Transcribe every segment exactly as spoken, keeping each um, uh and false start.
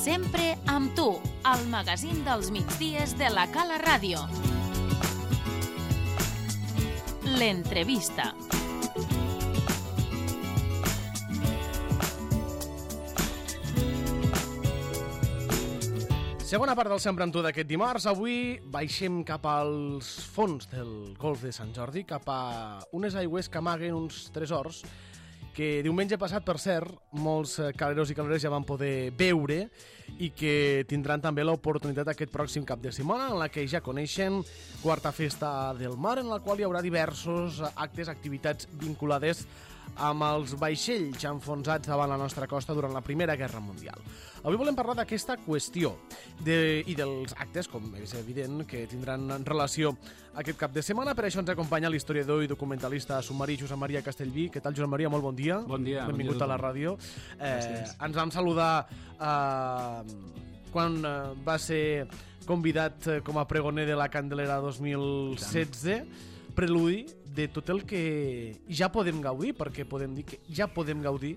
Sempre amb tu, al magazín dels migdies de la Cala Ràdio. L'entrevista. Segona part del Sempre amb tu d'aquest dimarts. Avui baixem cap als fons del Golf de Sant Jordi, cap a unes aigües que amaguen uns tresors que diumenge passat, per cert, molts caleros i caleres ja van poder veure i que tindran també l'oportunitat aquest pròxim cap de setmana, en la que ja coneixen Quarta Festa del Mar, en la qual hi haurà diversos actes, activitats vinculades amb els vaixells enfonsats davant la nostra costa durant la Primera Guerra Mundial. Avui volem parlar d'aquesta qüestió de, i dels actes, com és evident, que tindran relació aquest cap de setmana. Per això ens acompanya l'historiador i documentalista submarí Josep Maria Castellví. Què tal, Josep Maria? Molt bon dia. Bon dia. Benvingut bon dia a la ràdio. Eh, ens vam saludar eh, quan eh, va ser convidat com a pregoner de la Candelera dos mil setze, preludi de tot el que ja podem gaudir, perquè podem dir que ja podem gaudir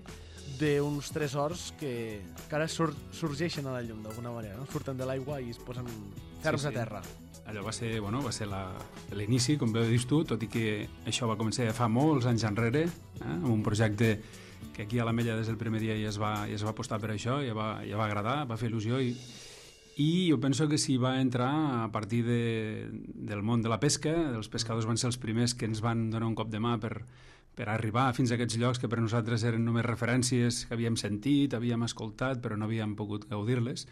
d'uns tresors que, que ara sur sorgeixen a la llum d'alguna manera, no? Surten de l'aigua i es posen ferms sí, sí. a terra. Allò va ser, bueno, va ser l'inici, com bé dius tu, tot i que això va començar fa molts anys enrere, eh? amb un projecte que aquí a l'Ametlla des del primer dia ja es va, ja es va apostar per això, ja va, ja va agradar, va fer il·lusió i I jo penso que s'hi va entrar a partir de, del món de la pesca. Els pescadors van ser els primers que ens van donar un cop de mà per, per arribar fins a aquests llocs que per nosaltres eren només referències que havíem sentit, havíem escoltat, però no havíem pogut gaudir-les.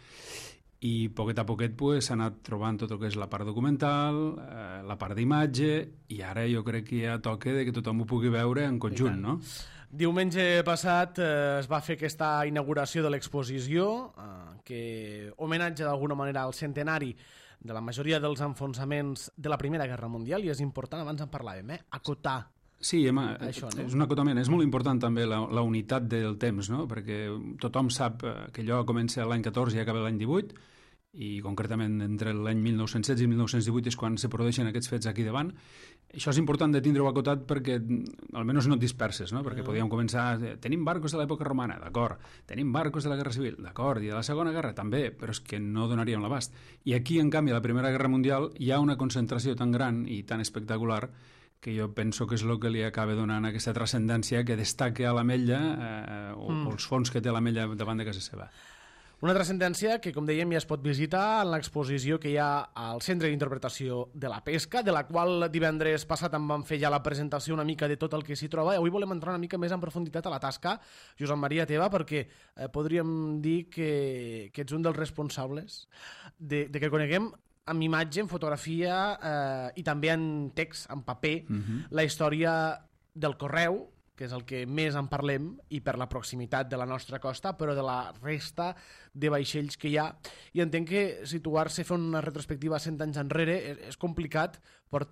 I poquet a poquet pues, s'ha anat trobant tot el que és la part documental, eh, la part d'imatge, i ara jo crec que ja toca de que tothom ho pugui veure en conjunt, no? Diumenge passat eh, es va fer aquesta inauguració de l'exposició eh, que homenatja d'alguna manera al centenari de la majoria dels enfonsaments de la Primera Guerra Mundial, i és important, abans en parlàvem, eh, acotar. Sí, Emma, això, no? És un acotament. És molt important també la, la unitat del temps, no? Perquè tothom sap que allò comença l'any catorze i acaba l'any divuit, i concretament entre l'any mil nou-cents setze i mil nou-cents divuit és quan se produeixen aquests fets aquí davant. Això és important de tindre-ho acotat perquè almenys no et disperses, no? Perquè podíem començar, tenim barcos de l'època romana, d'acord, tenim barcos de la Guerra Civil, d'acord, i de la Segona Guerra també, però és que no donaríem l'abast. I aquí, en canvi, a la Primera Guerra Mundial hi ha una concentració tan gran i tan espectacular que jo penso que és el que li acaba donant aquesta transcendència que destaca a l'Ametlla eh, o, mm. o els fons que té l'Ametlla davant de casa seva. Una transcendència que, com dèiem, ja es pot visitar en l'exposició que hi ha al Centre d'Interpretació de la Pesca, de la qual divendres passat en vam fer ja la presentació una mica de tot el que s'hi troba. Avui volem entrar una mica més en profunditat a la tasca, Josep Maria, teva, perquè eh, podríem dir que, que ets un dels responsables de, de que coneguem amb imatge, en fotografia eh, i també en text, en paper, uh-huh. la història del Correu, que és el que més en parlem, i per la proximitat de la nostra costa, però de la resta de vaixells que hi ha. I entenc que situar-se, fer una retrospectiva cent anys enrere, és, és complicat per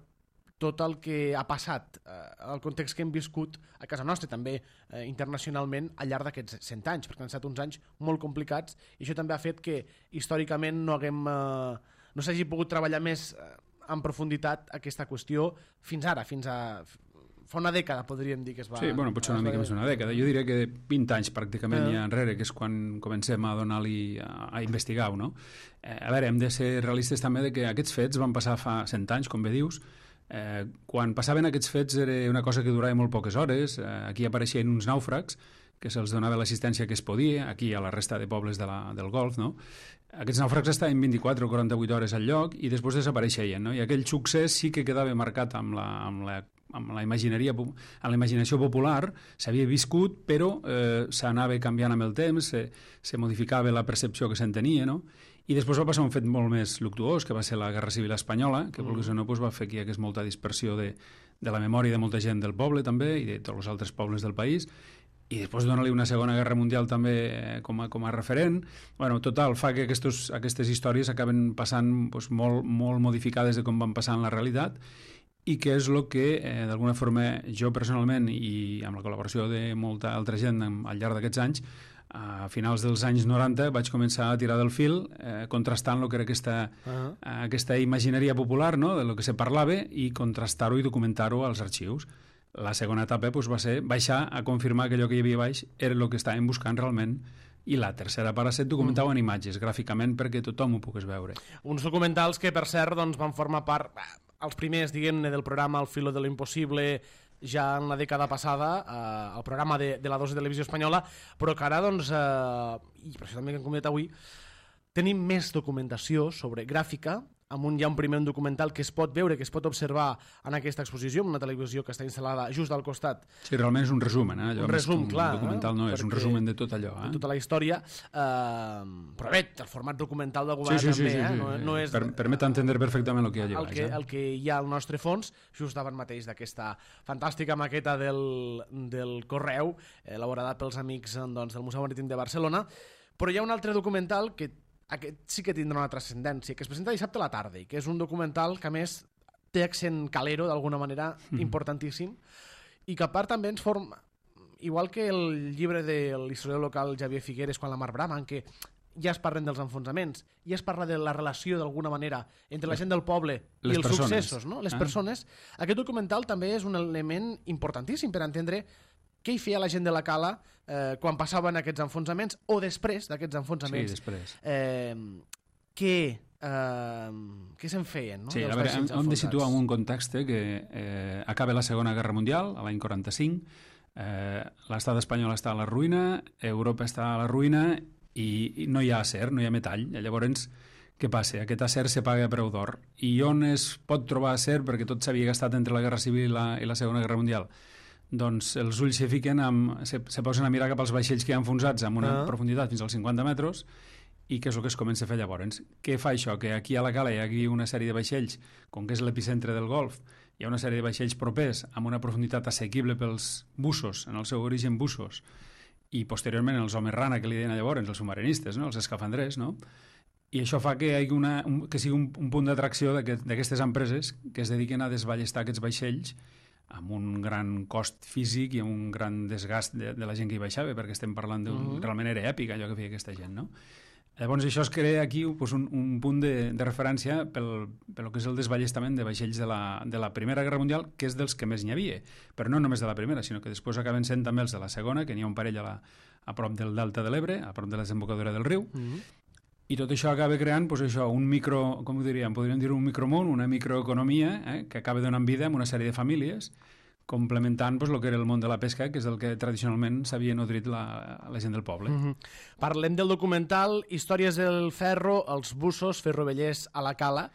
tot el que ha passat, eh, el context que hem viscut a casa nostra, també eh, internacionalment, al llarg d'aquests cent anys, perquè han estat uns anys molt complicats, i això també ha fet que històricament no haguem, eh, no s'hagi pogut treballar més eh, en profunditat aquesta qüestió fins ara, fins a... fa una dècada, podríem dir que es va... Sí, bueno, potser una mica més d'una dècada. Jo diria que vint anys pràcticament eh. ja enrere, que és quan comencem a donar-li a, a investigar-ho, no? Eh, a veure, hem de ser realistes també de que aquests fets van passar fa cent anys, com bé dius. Eh, quan passaven aquests fets era una cosa que durava molt poques hores. Eh, aquí apareixien uns nàufrags que se'ls donava l'assistència que es podia, aquí a la resta de pobles de la, del Golf, no? Aquests nàufrags estaven vint-i-quatre o quaranta-vuit hores al lloc i després desapareixien, no? I aquell succés sí que quedava marcat amb la, amb la amb la imagineria, amb la imaginació popular, s'havia viscut, però eh, s'anava canviant amb el temps, se, se modificava la percepció que se'n tenia, no? I després va passar un fet molt més luctuós, que va ser la Guerra Civil Espanyola, que mm. vulguis o no doncs va fer que hi hagués molta dispersió de, de la memòria de molta gent del poble també, i de tots els altres pobles del país, i després donar-li una Segona Guerra Mundial també eh, com, a, com a referent. Bueno, total, fa que aquestos, aquestes històries acaben passant doncs, molt, molt modificades de com van passar en la realitat, i que és el que, eh, d'alguna forma, jo personalment, i amb la col·laboració de molta altra gent al llarg d'aquests anys, a finals dels anys noranta vaig començar a tirar del fil, eh, contrastant el que era aquesta, uh-huh. aquesta imagineria popular, no?, de lo que se parlava, i contrastar-ho i documentar-ho als arxius. La segona etapa doncs, va ser baixar a confirmar que allò que hi havia baix era el que estàvem buscant realment, i la tercera part set documentava en imatges, gràficament, perquè tothom ho pogués veure. Uns documentals que, per cert, doncs, van formar part, els primers, diguem-ne, del programa El filo de lo imposible, ja en la dècada passada, eh, el programa de, de la dos de Televisió Espanyola, però que ara, doncs, eh, i per això també que hem comentat avui, tenim més documentació sobre gràfica. Amunt hi ha un primer documental que es pot veure, que es pot observar en aquesta exposició, en una televisió que està instal·lada just al costat. Sí, realment és un resumen, eh? Allò un resum, un clar. Un documental no, és un resumen de tot allò. Eh? De tota la història. Eh, però bé, el format documental del govern sí, sí, també, sí, sí, eh? sí. No, no és... Per, permet entendre perfectament el que hi ha allà. El que, el que hi ha al nostre fons, just davant mateix d'aquesta fantàstica maqueta del, del Correu, elaborada pels amics doncs, del Museu Marítim de Barcelona. Però hi ha un altre documental que aquest sí que tindrà una transcendència, que es presenta dissabte a la tarda, i que és un documental que, a més, té accent calero, d'alguna manera, mm. importantíssim, i que, a part, també ens forma... Igual que el llibre de l'historiador local Javier Figueres, Quan la mar brama, en què ja es parlen dels enfonsaments, ja es parla de la relació, d'alguna manera, entre la gent del poble i els persones. Successos, no? Les ah. persones. Aquest documental també és un element importantíssim per entendre què hi feia la gent de la Cala eh, quan passaven aquests enfonsaments o després d'aquests enfonsaments. Sí, després. Eh, què eh, què se'n feien, no? Sí, a veure, hem, hem de situar en un context que eh, acaba la Segona Guerra Mundial, a l'any quaranta-cinc, eh, l'estat espanyol està a la ruïna, Europa està a la ruïna i, i no hi ha acer, no hi ha metall. I llavors, què passa? Aquest acer se paga a preu d'or. I on es pot trobar acer, perquè tot s'havia gastat entre la Guerra Civil i la, i la Segona Guerra Mundial? Doncs els ulls se fiquen, amb, se, se posen a mirar cap als vaixells que hi ha enfonsats amb una ah. profunditat fins als cinquanta metres, i què és el que es comença a fer llavors? Què fa això? Que aquí a la Cala hi ha una sèrie de vaixells, com que és l'epicentre del Golf, hi ha una sèrie de vaixells propers amb una profunditat assequible pels bussos, en el seu origen bussos, i posteriorment els homes rana, que li deien llavors, els submarinistes, no? Els escafandrers, no? I això fa que, hi hagi una, un, que sigui un, un punt d'atracció d'aquestes empreses que es dediquen a desballestar aquests vaixells amb un gran cost físic i amb un gran desgast de, de la gent que hi baixava, perquè estem parlant d'un... Uh-huh. Realment era èpic allò que feia aquesta gent, no? Llavors això es crea aquí pues, un, un punt de, de referència pel, pel que és el desballestament de vaixells de la, de la Primera Guerra Mundial, que és dels que més n'hi havia, però no només de la Primera, sinó que després acaben sent també els de la Segona, que n'hi ha un parell a, la, a prop del Delta de l'Ebre, a prop de la desembocadura del riu, uh-huh. I tot això acaba creant pues, això, un micro, com ho diríem, podríem dir un micromón, una microeconomia, eh, que acaba donant vida a una sèrie de famílies, complementant pues, el que era el món de la pesca, que és el que tradicionalment s'havia nodrit la, la gent del poble. Mm-hmm. Parlem del documental Històries del ferro, els bussos ferrovellers a la Cala,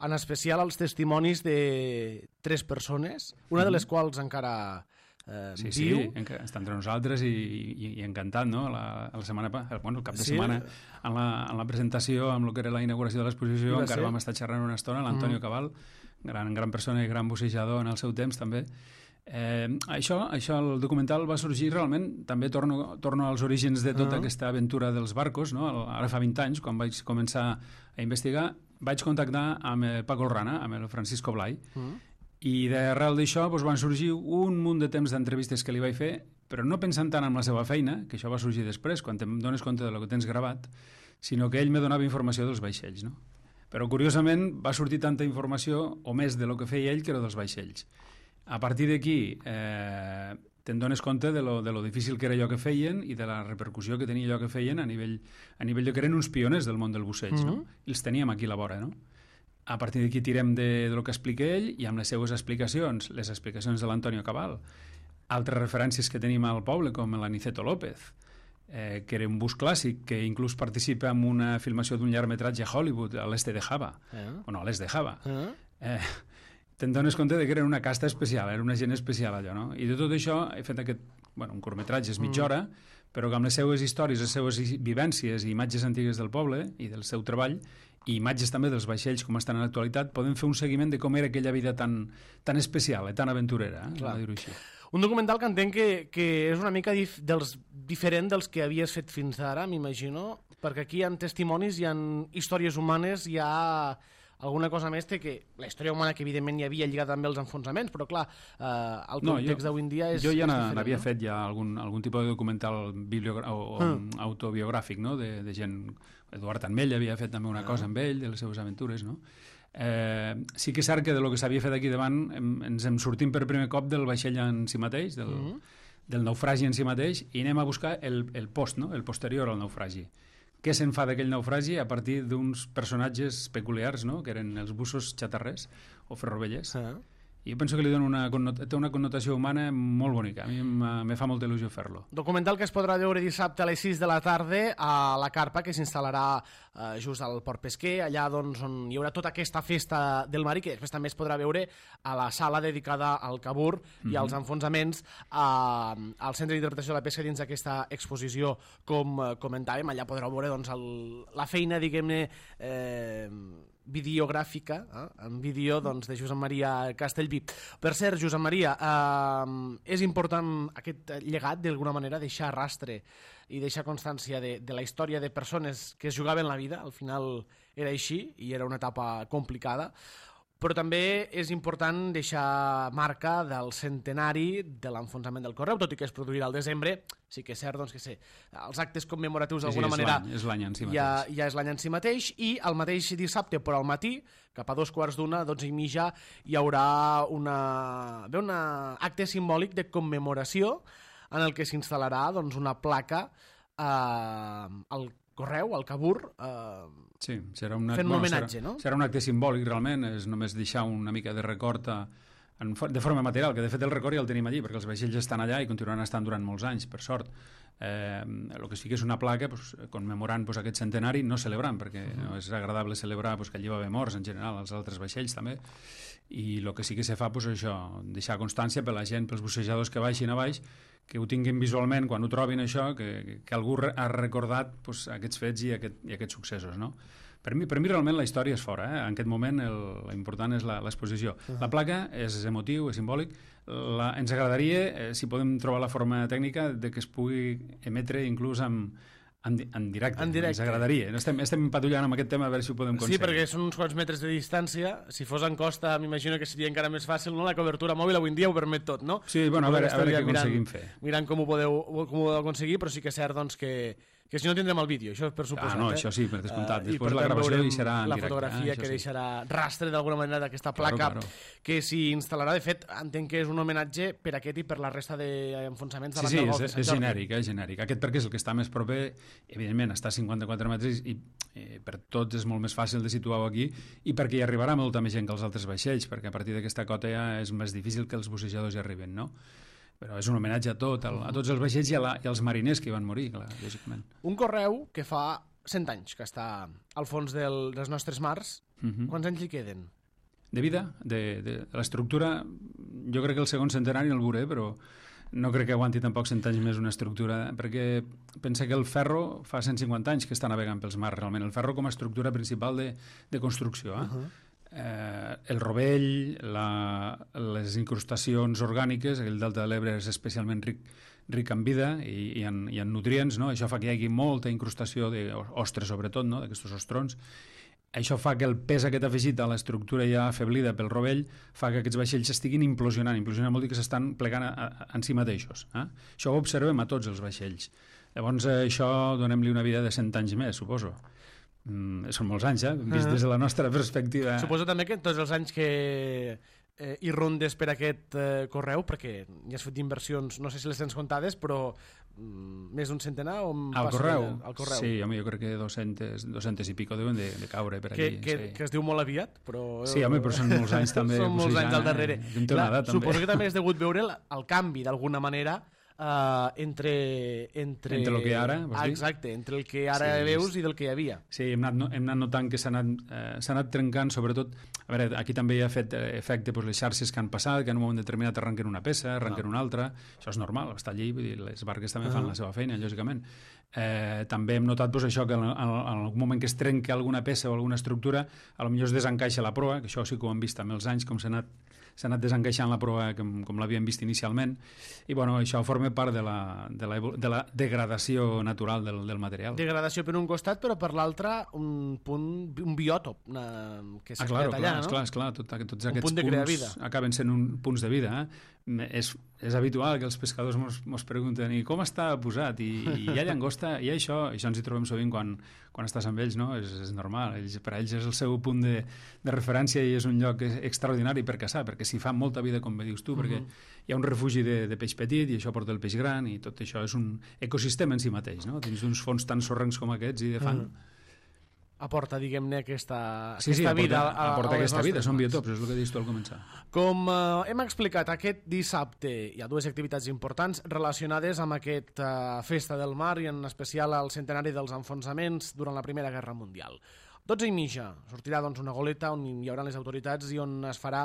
en especial els testimonis de tres persones, una de les quals encara eh, sí, viu. Sí, està entre nosaltres i, i, i encantat, no? La, la setmana, bueno, el cap de sí. setmana, en la, en la presentació, amb el que era la inauguració de l'exposició, encara vam estar xerrant una estona, l'Antonio mm. Cabal, gran, gran persona i gran bussejador en el seu temps, també. Eh, això, això, el documental va sorgir realment, també torno, torno als orígens de tota uh-huh. aquesta aventura dels barcos, no? Ara fa vint anys, quan vaig començar a investigar, vaig contactar amb el Paco Rana, amb el Francisco Blay, uh-huh. i d'arrel d'això doncs, van sorgir un munt de temps d'entrevistes que li vaig fer, però no pensant tant en la seva feina, que això va sorgir després, quan te'n dones compte del que tens gravat, sinó que ell me donava informació dels vaixells, no? Però, curiosament, va sortir tanta informació, o més de lo que feia ell, que era dels vaixells. A partir d'aquí eh, te'n dones compte de lo, de lo difícil que era allò que feien i de la repercussió que tenia allò que feien a nivell, a nivell de que eren uns pioners del món del busseig, mm-hmm. no? I els teníem aquí a la vora, no? A partir d'aquí tirem de, de lo que explica ell i amb les seues explicacions, les explicacions de l'Antonio Cabal, altres referències que tenim al poble, com l'Aniceto López, eh, que era un bus clàssic que inclús participa en una filmació d'un llargmetratge a Hollywood, a l'est de Java, eh? o no, a l'est de Java. Eh? Eh, te'n dones compte de que era una casta especial, era una gent especial allò, no? I de tot això he fet aquest, bueno, un curtmetratge és mitja hora, mm. però que amb les seues històries, les seues vivències i imatges antigues del poble i del seu treball, i imatges també dels vaixells com estan en l'actualitat, podem fer un seguiment de com era aquella vida tan, tan especial, eh, tan aventurera, eh, dir-ho així. Un documental que entenc que, que és una mica dif dels, diferent dels que havies fet fins ara, m'imagino, perquè aquí hi ha testimonis, hi ha històries humanes, hi ha alguna cosa més té que la història humana que evidentment hi havia lligat també als enfonsaments, però clar, eh, el context no, d'avui en dia és Jo ja n'havia no? fet ja algun, algun tipus de documental o, o mm. autobiogràfic, no? de, de gent... Eduard Anmell havia fet també una ah. cosa amb ell, de les seves aventures, no? Eh, sí que és cert que de lo que s'havia fet aquí davant em, ens en sortim per primer cop del vaixell en si mateix, del, mm. del naufragi en si mateix i anem a buscar el, el post, no? El posterior al naufragi. Què se'n fa d'aquell naufragi a partir d'uns personatges peculiars, no? Que eren els bussos xatarrers o ferrovellers. Ah. I jo penso que li dona una, té una connotació humana molt bonica. A mi me fa molta il·lusió fer-lo. Documental que es podrà veure dissabte a les sis de la tarda a la carpa, que s'instal·larà eh, just al Port Pesquer, allà doncs, on hi haurà tota aquesta festa del mar i que després també es podrà veure a la sala dedicada al cabur mm-hmm. i als enfonsaments eh, al Centre d'Interpretació de la Pesca dins d'aquesta exposició, com eh, comentàvem. Allà podreu veure doncs, el, la feina, diguem-ne, eh, videogràfica, eh? en vídeo doncs, de Josep Maria Castellví. Per cert, Josep Maria, eh, és important aquest llegat, d'alguna manera, deixar rastre i deixar constància de, de la història de persones que es jugaven la vida. Al final era així i era una etapa complicada, però també és important deixar marca del centenari de l'enfonsament del Correu, tot i que es produirà al desembre. Sí que és cert doncs, que sé, els actes commemoratius d'alguna sí, sí, manera és l'any en si mateix. Ja, ja és l'any en si mateix, i el mateix dissabte, però al matí, cap a dos quarts d'una, dotze i mitja, hi haurà una, bé, una acte simbòlic de commemoració en el que s'instal·larà doncs, una placa eh, al Correu, al Cabur, eh, sí, serà una, fent un bueno, homenatge, serà, no? Serà un acte simbòlic, realment, és només deixar una mica de record a, en, de forma material, que de fet el record ja el tenim allí, perquè els vaixells estan allà i continuaran estant durant molts anys, per sort. Eh, el que sí que és una placa pues, commemorant pues, aquest centenari, no celebrant, perquè no és agradable celebrar pues, que allí va haver morts en general, els altres vaixells també, i el que sí que se fa, pues, això, deixar constància per la gent, pels bussejadors que baixin a baix, que ho tinguin visualment quan ho trobin això, que, que algú ha recordat pues, aquests fets i, aquest, i aquests successos, no? Per mi, per mi realment la història és fora, eh? En aquest moment l'important és l'exposició. Uh -huh. La placa és emotiu, és simbòlic. La, ens agradaria, eh, si podem trobar la forma tècnica, de que es pugui emetre inclús amb, en, en directe. En directe. Ens agradaria. Estem, estem patullant amb aquest tema a veure si ho podem aconseguir. Sí, perquè són uns quants metres de distància. Si fos en costa, m'imagino que seria encara més fàcil, no? La cobertura mòbil avui en dia ho permet tot, no? Sí, bueno, a veure, a veure què aconseguim fer. Mirant com ho podeu, com ho podeu aconseguir, però sí que és cert doncs, que que si no tindrem el vídeo, això és per suposat. Ah, no, eh? això sí, per descomptat. Uh, Després per la gravació hi serà en la directe. fotografia eh? que sí. deixarà rastre d'alguna manera d'aquesta placa, claro, claro. que s'hi instal·larà. De fet, entenc que és un homenatge per aquest i per la resta d'enfonsaments de sí, la sí, Golf és, és genèric, és genèric. Aquest perquè és el que està més proper, evidentment, està a cinquanta-quatre metres i eh, per tots és molt més fàcil de situar-ho aquí, i perquè hi arribarà molta més gent que els altres vaixells, perquè a partir d'aquesta cota ja és més difícil que els bussejadors hi arriben, no? Però és un homenatge a tot, a tots els vaixells i, a la, i als mariners que hi van morir, clar, lògicament. Un Correu que fa cent anys que està al fons del, dels nostres mars. Uh-huh. Quants anys li queden? De vida? De, de, de l'estructura, jo crec que el segon centenari el veuré, però no crec que aguanti tampoc cent anys més una estructura, perquè pensa que el ferro fa cent cinquanta anys que està navegant pels mars, realment. El ferro com a estructura principal de, de construcció, eh? Uh-huh. Eh, el rovell, la, les incrustacions orgàniques, el delta de l'Ebre és especialment ric, ric en vida i, i, en, i en nutrients, no? Això fa que hi hagi molta incrustació d'ostres, sobretot, no? D'aquests ostrons. Això fa que el pes aquest afegit a l'estructura ja afeblida pel rovell fa que aquests vaixells estiguin implosionant. Implosionant vol dir que s'estan plegant a, a, en si mateixos. Eh? Això ho observem a tots els vaixells. Llavors, eh, això donem-li una vida de cent anys més, suposo. Mm, són molts anys, eh? Vist des de la nostra perspectiva. Suposo també que tots els anys que eh, hi rondes per aquest eh, Correu, perquè ja has fet inversions, no sé si les tens comptades, però mm, més d'un centenar o al correu? De, al correu? Sí, home, jo crec que dos cents i pico deuen de, de caure per que, aquí. Que, sí. que es diu molt aviat, però... Sí, home, però són molts anys també. Són molts anys al darrere. Eh? Clar, edat, suposo que també has degut veure el, el canvi, d'alguna manera, Uh, entre, entre... Entre el que ara, ah, exacte, entre el que ara sí, veus i del que hi havia. Sí, hem anat, hem anat notant que s'ha anat, eh, s'ha anat trencant, sobretot... A veure, aquí també hi ha fet efecte pues, les xarxes que han passat, que en un moment determinat arrenquen una peça, arrenquen no. una altra... Això és normal, està allí, vull dir, les barques també uh -huh. fan la seva feina, lògicament. Eh, també hem notat pues, això, que en, en, en algun moment que es trenca alguna peça o alguna estructura, a lo millor es desencaixa la proa, que això sí que ho hem vist amb els anys, com s'ha anat s'ha anat desencaixant la prova com, com l'havíem vist inicialment, i bueno, això forma part de la, de la, de la degradació natural del, del material. Degradació per un costat, però per l'altre un punt, un biòtop una, que s'ha ah, claro, creat allà, clar, no? Esclar, esclar, tot, tots un aquests punt de punts vida. acaben sent un, punts de vida. Eh? És, és habitual que els pescadors mos, mos pregunten i com està posat, i, i hi ha llagosta, i això, això ens hi trobem sovint quan, quan estàs amb ells, no? És, és normal, ells, per a ells és el seu punt de, de referència i és un lloc extraordinari per caçar, perquè s'hi fa molta vida, com bé dius tu, perquè Uh-huh. hi ha un refugi de, de peix petit i això porta el peix gran i tot això és un ecosistema en si mateix, no? Dins d'uns fons tan sorrencs com aquests i de fang. Uh-huh. Aporta, diguem-ne, aquesta, Sí, sí, aquesta aporta, vida. A, aporta a les aquesta vida, nostres són mans. biotops, és el que deies tu al començar. Com eh, hem explicat, aquest dissabte hi ha dues activitats importants relacionades amb aquesta eh, festa del mar i en especial el centenari dels enfonsaments durant la Primera Guerra Mundial. dotze i mitja sortirà doncs, una goleta on hi haurà les autoritats i on es farà,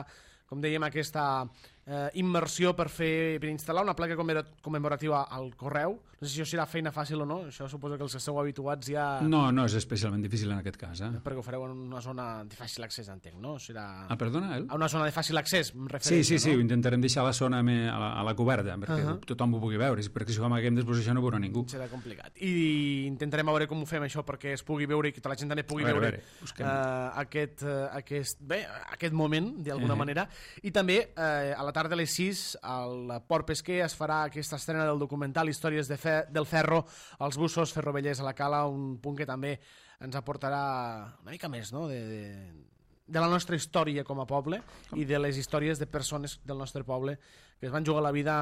com dèiem, aquesta eh, immersió per fer per instal·lar una placa commemorativa al correu. No sé si això serà feina fàcil o no, això suposo que els que esteu habituats ja... No, no és especialment difícil en aquest cas. Eh? Perquè ho fareu en una zona de fàcil accés, entenc, no? Serà... Ah, perdona, El? A una zona de fàcil accés, em Sí, refereixo, sí, sí, no? ho intentarem deixar a la zona me- a la, a la coberta, perquè Uh-huh. tothom ho pugui veure, perquè si ho amaguem després això no ho veurà ningú. Serà complicat. I intentarem veure com ho fem això perquè es pugui veure i que tota la gent també pugui A veure, veure, a veure, busquem. uh, aquest, uh, aquest, bé, aquest moment, d'alguna Eh. manera. I també uh, a la tarda a les sis al Port Pesquer es farà aquesta estrena del documental Històries de fe del ferro als bussos ferrovellers a la Cala, un punt que també ens aportarà una mica més, no?, de, de, de la nostra història com a poble i de les històries de persones del nostre poble que es van jugar la vida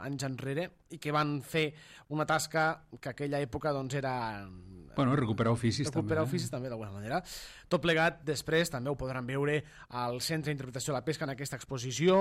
anys enrere i que van fer una tasca que aquella època doncs era... Bueno, recuperar oficis recuperar també. oficis també, d'alguna manera. Tot plegat, després, també ho podran veure al Centre d'Interpretació de la Pesca en aquesta exposició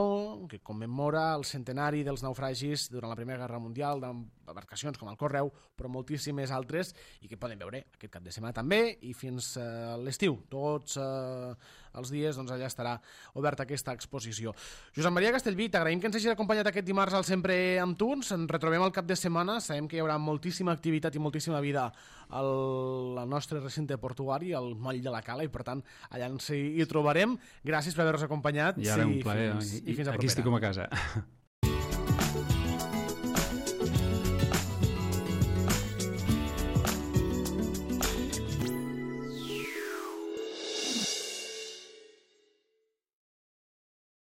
que commemora el centenari dels naufragis durant la Primera Guerra Mundial d'embarcacions com el Correu, però moltíssimes altres, i que poden veure aquest cap de setmana també i fins a eh, l'estiu. Tots eh, els dies doncs, allà estarà oberta aquesta exposició. Josep Maria Castellví, t'agraïm que ens hagis acompanyat aquest dimarts al Sempre amb tu. Ens en retrobem al cap de setmana. Sabem que hi haurà moltíssima activitat i moltíssima vida al, al nostre recinte portuari, al moll de la Cala, i per tant allà ens hi, hi trobarem. Gràcies per haver-nos acompanyat. I ara i un plaer. fins, I, i fins a aquí propera. estic com a casa.